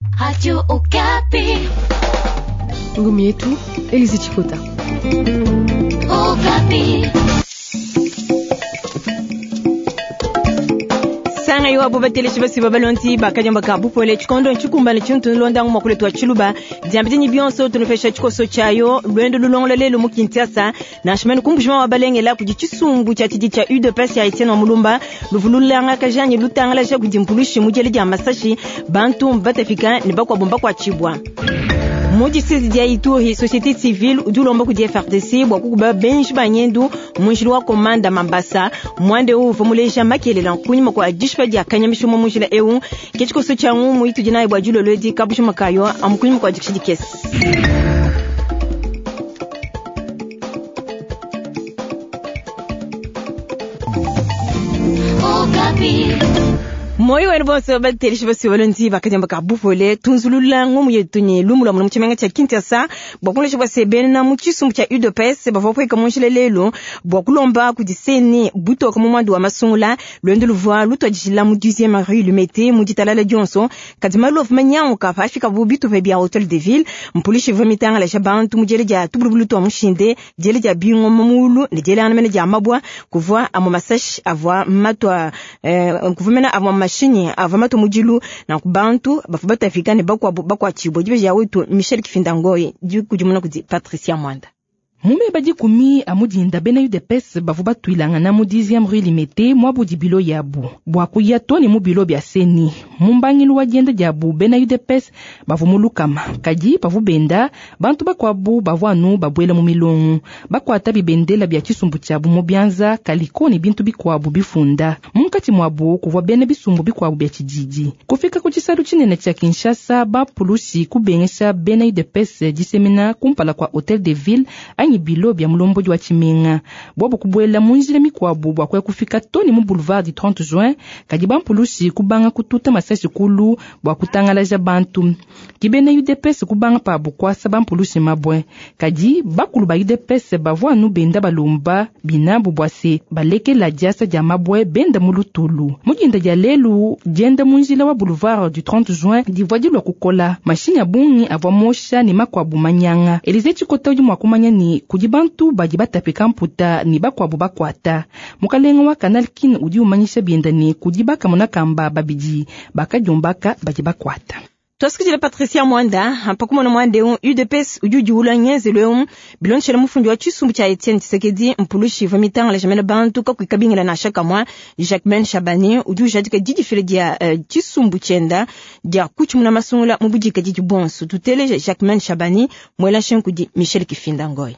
Radio Okapi. Ngumi yetu Elise Chikota. Okapi. Sanga yo abo bateleshi basi babalonti bakanyamba ka bupole tshikondo ntshikumba tshintu nlonda nguma kule twa tshiluba diambidinyi bionso tunupesha tshikoso tshayo lwendo lulongola lelo mu Kinshasa nansha mene kumbushima wa balengela kudi tshisumbu tshia tshidi tshia UDPS ya Etienne wa Mulumba luvululanga kajanyi lutangala kudi mpulushi mujele dia masashi bantu mbatafika ne bakwabo mbakwatshibwa. Mu district dia Ituri, société civile udi ulomba kudi FARDC bua kukuba benji ba ngendu mu njila wa komanda Mambasa mwande uvua muleja makelela kunyima kua dishipa dia kanyamisho mu njila eu ke tshikoso tshia ngumu itudi nayi bua dilolo edi kabushu makayo amu kunyima kua dikisha dikese. Okapi. Moyo wenu bonso bateleshi basi balonzi bakanyamba ka bupole tunzulula ngumu yetu ni lumu lwa mu tshimenga tshia Kinshasa bua kulesha bua sebena mu tshisumbu tshia UDPS bavua kueka mu njila lelu bua kulomba kudi CENI butoka mu mwandu wa masungula lwendo luvua lutuadijila mu 10e rue Limete mu ditalala dionso kadi malu avua manyanguka pafika bu bitupa bia Hotel de Ville mpulishi ivua mitangalasha bantu mu diela dia tubulubulu tua mushinde diela dia bingoma mulu ne diela mene dia mabwa kuvua amwe masashi avua matwa kuvua mena amwe mashinyi avua matwa mudilu na kubantu bavua batafika ne bakuabu bakuatshibua dibeji ya wetu Michel Kifinda Ngoyi dikudimuna kudi Patricia Mwanda. Mume badikumi amudinda bena UDPS bavua batuilangana mu 10e rue Limete mwabudi bilo yabu bua kuya to ne mu bilo bia CENI. Mu mbangilu wa dienda diabu bena UDPS bavua mu lukama kadi bavua benda bantu bakuabu bavua anu babuela mu milongo bakuata bibendela bia tshisumbu tshiabu mu bianza kaliko ne bintu bikuabu bifunda. Munkatshi muabu kuvua bena bisumbu bikuabu bia tshididi. Kufika ku tshisalu tshinene tshia Kinshasa bapulushi kubengesha bena UDPS disemena kumpala kua Hotel de Ville anyi bilo bia mulombodi wa tshimenga bwabo kubuela mu njila mikuabu bua kuya kufika to ne mu boulevard du 30 juin kadi bampulushi kubanga kututa masashi kulu bua kutangalaja bantu. Ke bena UDPS kubanga pabu kuasa bampulushi mabwe kadi bakulu ba UDPS bavua anu benda balomba binabu bua se balekela diasa dia mabwe benda mu lutulu. Mu dinda dia lelu dienda mu njila wa boulevard du 30 juin divua dilua kukola mashinyi a bungi avua mosha ne makuabu manyanga. Elize Tshikota udi mua kumanya ne kudi bantu badi batapika mputa ne bakuabu bakuata. Mukalenga wa Canal Kin udi umanyisha bienda ne kudi bakamona kamba babidi bakadiombaka badi bakuata. Twasikidile Patricia Mwanda mpakumona mwande eu UDPS udi udiula ngenzelu eu bilonshela mufundi wa tshisumbu tshia Etienne Tshisekedi mpulushi ivua mitangalaja mena bantu kakuikabingila nansha kamwa. Jacquemain Shabani udi ujadika didifila dia tshisumbu tshienda dia kutshimuna masungula mu budikadidi bonso. Tuteleje Jacquemain Shabani muela nshingu Michel Kifinda Ngoyi.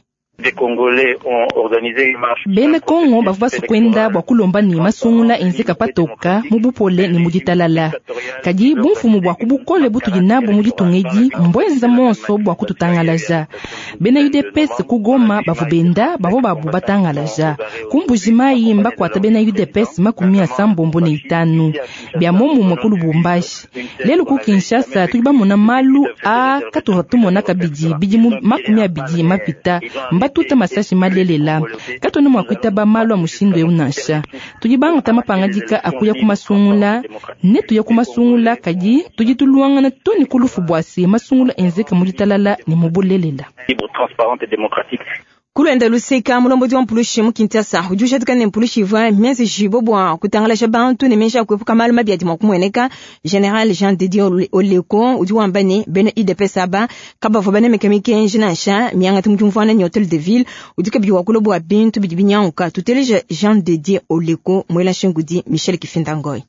Bena Kongo bavua basukwenda bua kulomba ne masungula enzeka patoka mu bupole ne mu ditalala. Kadi bumfumu bua kubukole butudi nabu mu ditunga edi mbwenza monso bua kututangalaja. Bena UDPS ku Goma bavua benda bavua babu batangalaja. Ku Mbuji-Mayi mbakuata bena UDPS 75 bia momumue ku Lubumbashi. Lelu ku Kinshasa tudi bamona malu a katuvua tumona kabidi bidimu 20 mapita. Mbatuta masashi malelela. Katwena mua kuitaba malu a mushindu eu nansha. Tudi bangata mapangadika akuya ku masungula ne tuya ku masungula kadi tudi tuluangana to ne ku lufu bua se masungula enzeka mu ditalala ne mu bulelela. Kulwenda luseka mulombodi wa mpulushi mu Kinshasa udi ujadika ne mpulushi ivua mienzejibo bua kutangalasha bantu ne menji a kuepuka malu mabi adi mua kumueneka. General Jean Didier Oleko udi wamba ne bena UDPS aba kabavua banemeka mikenji nansha miangata mu diumvuana ne Hotel de Ville udi kabidi wakula bua bintu bidi binyanguka. Tuteleje Jean Didier Oleko muela nshingu di Michel Kifinda Ngoyi.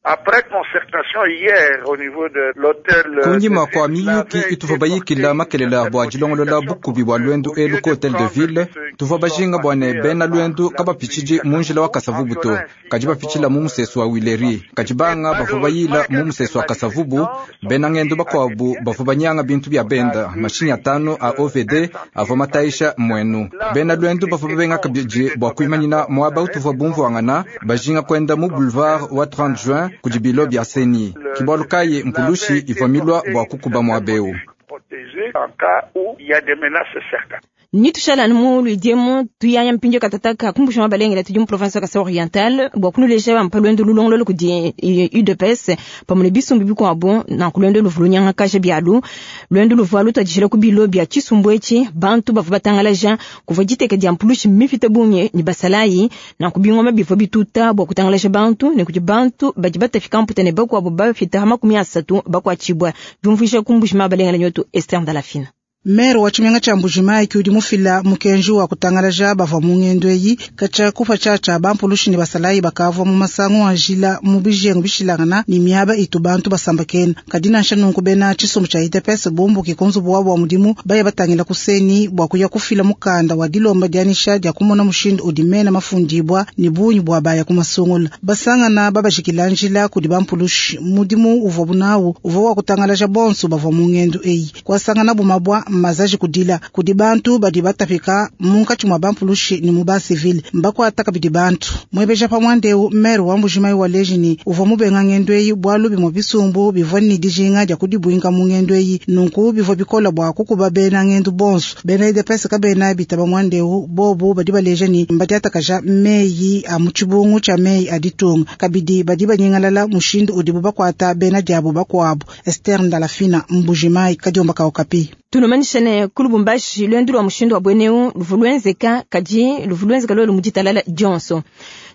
Après concertation hier au niveau de l'hôtel kunyima kua miyuki ituvua bayikila makelela bua dilongolola bukubi bua lwendu elu ku Hotel de Ville tuvua bajinga bua ne bena lwendu kabapitshidi mu njila wa Kasavubu to kadi bapitshila mu musesu wa Wileri kadi banga bavua bayila mu musesu wa Kasavubu bena ngendo bakuabu bavua banyanga bintu bia benda mashinyi atano a OVD avua mataisha muenu bena lwendu bavua babenga kabidi bua kuimanyina muaba utuvua bumvuangana bajinga kwenda mu boulevard wa 30 juin kudi bilo bia CENI kibalu kayi mpulushi ivua milua bua kukuba muaba eu. Nitushala mu luidiemu tuyaya mpindio katataka kumbusha mabalengela tudi mu province ya Kasai Oriental bua kunuleja bampa lwendo lulongololo kudi UDPS pamue ne bisumbu bikuabu nanku lwendo luvua lunyangakaja bialu lwendo luvua lutuadijila ku bilo bia tshisumbu etshi bantu bavua batangalaja kuvua diteka dia mpulushi mipite bungi ne basalayi nanku bingoma bivua bituta bua kutangalaja bantu ne kudi bantu badi batafika mputa ne bakuabu bafita 30 bakuatshibua diumvuija kumbusha mabalengela nyotu Esther Ndalafina. Mere wa tshimenga tshia Mbujimayi udi mufila mukenji wa kutangalaja bavua mu ngendo eyi katshia kupa tshiatshia bampulushi ne basalayi bakavua mu masangu a njila mu bijengu bishilangana ne miaba itu bantu basambakena. Kadi nansha nunku bena tshisumbu tshia UDPS bumbuke ku nzubu wabu wa mudimu baya batangila ku CENI bua kuya kufila mukanda wa dilomba dianyisha dia kumona mushindu udi mena mafundibua ne bungi bua baya ku masungula. Basangana babajikila njila kudi bampulushi mudimu uvua bunawu uvua wa kutangalaja bonso bavua mu ngendo eyi kwasangana bumabwa mazaji kudila kudi bantu badi batapika munkatshi mwa bampulushi ni mu ba civil mbakwata kabidi bantu mwebeja pa mwandeu mere wa Mbujimayi wa lejini uvua mubenga ngendo eyi bwalu bimwe bisumbu bivua ni dijinga dia kudibwinga mu ngendo eyi nunku bivua bikola bua kukuba bena ngendo bonso bena UDPS kabena bitaba mwandeu bobu badi baleja ni mbadiatakaja meyi a mu tshibungu tshia meyi a ditunga kabidi badi banyingalala mushindu udibu bakwata bena diabu bakuabu. Esther Ndalafina, Mbujimayi, Kadiomba ka Okapi. Tunumanisha ne ku Lubumbashi lwendo lwa mushindu wa bweneu luvulwenzeka kadi luvulwenzeka lwelu muditalala dionso.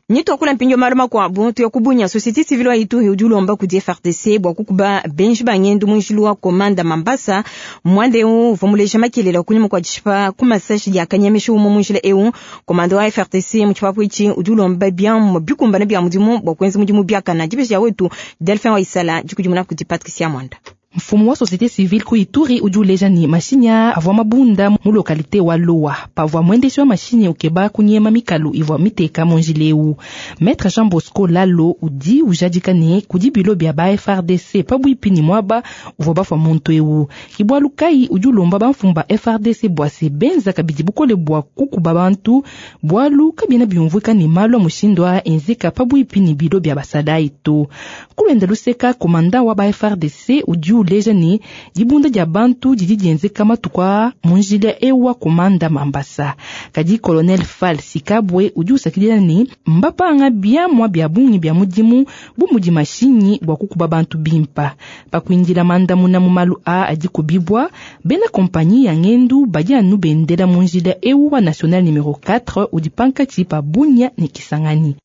Nitwakula mpindio malu makuabu tuya kubunya société civile wa Ituri udi ulomba kudi FARDC bua kukuba benji bangendu munjilu wa komanda Mambasa mwande eu uvua muleja makelela kunyima kua dishipa ku masashi dia kanyemesha umue munjila eu komanda wa FARDC mu tshipapu etshi udi ulomba biamu bikumbana bia mudimu bua kuenza mudimu biakana. Dibeji ya wetu Delphin wa Isala dikudimuna kudi Patricia Mwanda. Mfumu wa société civile ku Ituri udi uleja ni mashini avua mabunda mu localité wa Loa pavua mwendeshi wa mashini ukeba kunyema mikalu ivua miteka munjila eu. Maître Jean Bosco Lalo udi ujadika ne kudi bilo bia ba FARDC pabuipi ni mwaba uvua bafua muntu eu. Kibwalu kai udi ulomba bamfumu ba FARDC bua se benza kabidi bukole bua kukuba bantu bwalu kabiena biumvuika ni malu a mushindu a enzeka pabuipi ni bilo bia basalayi to. Kulwenda luseka komanda wa ba FARDC udi uleja ni dibunda dia bantu didi dienzeka matuku munjila ewa komanda Mambasa. Kadi colonel Fall Sikabwe udi usakidila ni mbapanga biamwa bia bungi bia mudimu bu mudi mashinyi bua kukuba bantu bimpa. Pakuindila mandamuna mu malu a adi kubibwa bena kompanyi ya ngendu badi anu bendela munjila ewa national numero 4 udi pankatshi pa Bunia ne Kisangani.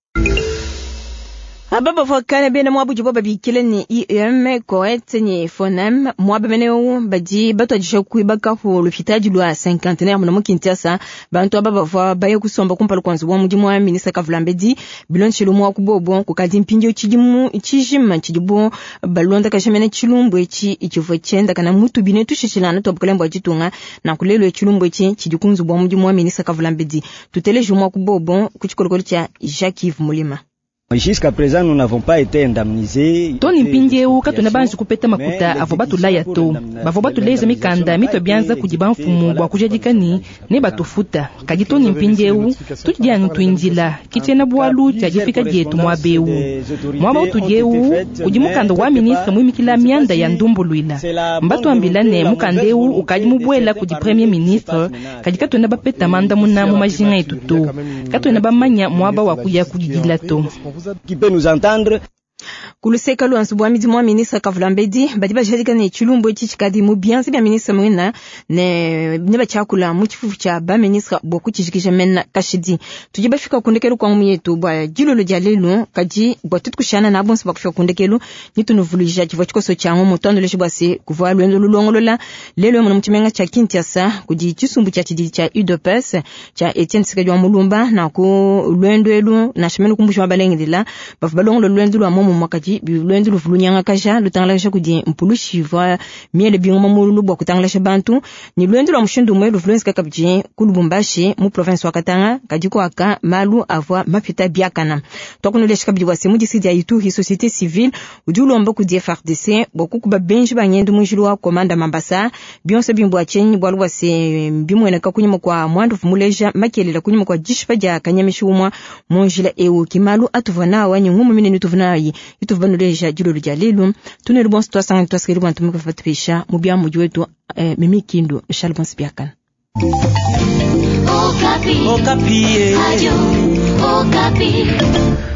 Aba bavua bena mwabu dibo babikile ni IEM Coet ni Fonem mwaba meneu badi batuadija kuibaka ku lupitadi lwa cinquantenaire muno mu Kinshasa. Bantu aba bavua baye kusomba kumpala kua nzubu wa mudimu wa ministre Kavulambedi bilonshelu mwa kubobo kukadi mpindieu tshidimu tshijima tshidibo balondakaja mene tshilumbu etshi tshivua tshiendakana mutu bine tushishilana tuabukalembo bua ditunga na kulelo tshilumbu etshi tshidi ku nzubu wa mudimu wa ministre Kavulambedi. Tuteleje mwa kubobo ku tshikolokolo tshia Jacques Yves Mulima. Jusqu'à présent nous n'avons pas été indemnisés. Tony mpindieu katuna banji kupeta makuta avua batulaya to bavua batuleja mikanda mitwe bianza kudi bamfumu bua kujadika ni ne batufuta. Kadi Tony mpindieu tudi anu tuindila kitshiena bwalu tshia difika dietu mwabeu mwaba utudieu kudi mukanda wa ministre muimikila mianda ya ndumbuluila mbatuambila ne mukanda eu ukadi mubwela kudi premier ministre. Kadi katuna bapeta mandamuna mu majinga etu to katuna bamanya mwaba wa kuya kudidila to. Qui peut nous entendre. Kuluseka lwa nzubu wa midimu wa ministre Kavulambedi badi bajadika ne tshilumbu etshi tshikadi mu bianza bia ministre mwina ne batshiakula mu tshifufu tshia ba ministre bua kutshijikija mena kashidi. Tudi bafika kundekelu kwa ngumu yetu bua dilolo dia lelu kadi bua tutu kushana na bonso bakufika kundekelu nitunuvuluija tshivua tshikoso tshia ngumu tuanduleje bua se kuvua lwendo lulongolola lelo muno mu tshimenga tshia Kinshasa kudi tshisumbu tshia tshididi tshia UDPS tshia Etienne Tshisekedi wa Mulumba na ku lwendo elu na shimene kumbusha mabalengedila bavua balongolola lwendo lwa momo mwakati lwendo luvulunyangakaja lutangalaja kudi mpulushi vwa miele bingoma mululu bua kutangalasha bantu ni lwendo lwa mushindu umwe luvuluenzeka kabidi ku Lubumbashi mu province wa Katanga kadi kuaka malu avua mapita biakana. Twakunulesha kabidi bua se mu district ya Ituri société civile udi ulomba kudi FARDC bua kukuba benji bangendu munjilu wa komanda Mambasa bionso bimbua tshenyi bualu bua se bimueneka kunyima kua mwandu vumuleja makelela kunyima kua dishipa dia kanyamishi umwa munjila eu kimalu atuvua nawa ni ngumu minene tuvua nayi ituvanuleja dilolo dia lelu tunelu bonso twasangana twasikeli bwantu mukafatupesha mu bia mudi wetu mimi kindu Charles Bonsi biakana. Okapi. Okapi. Radio Okapi.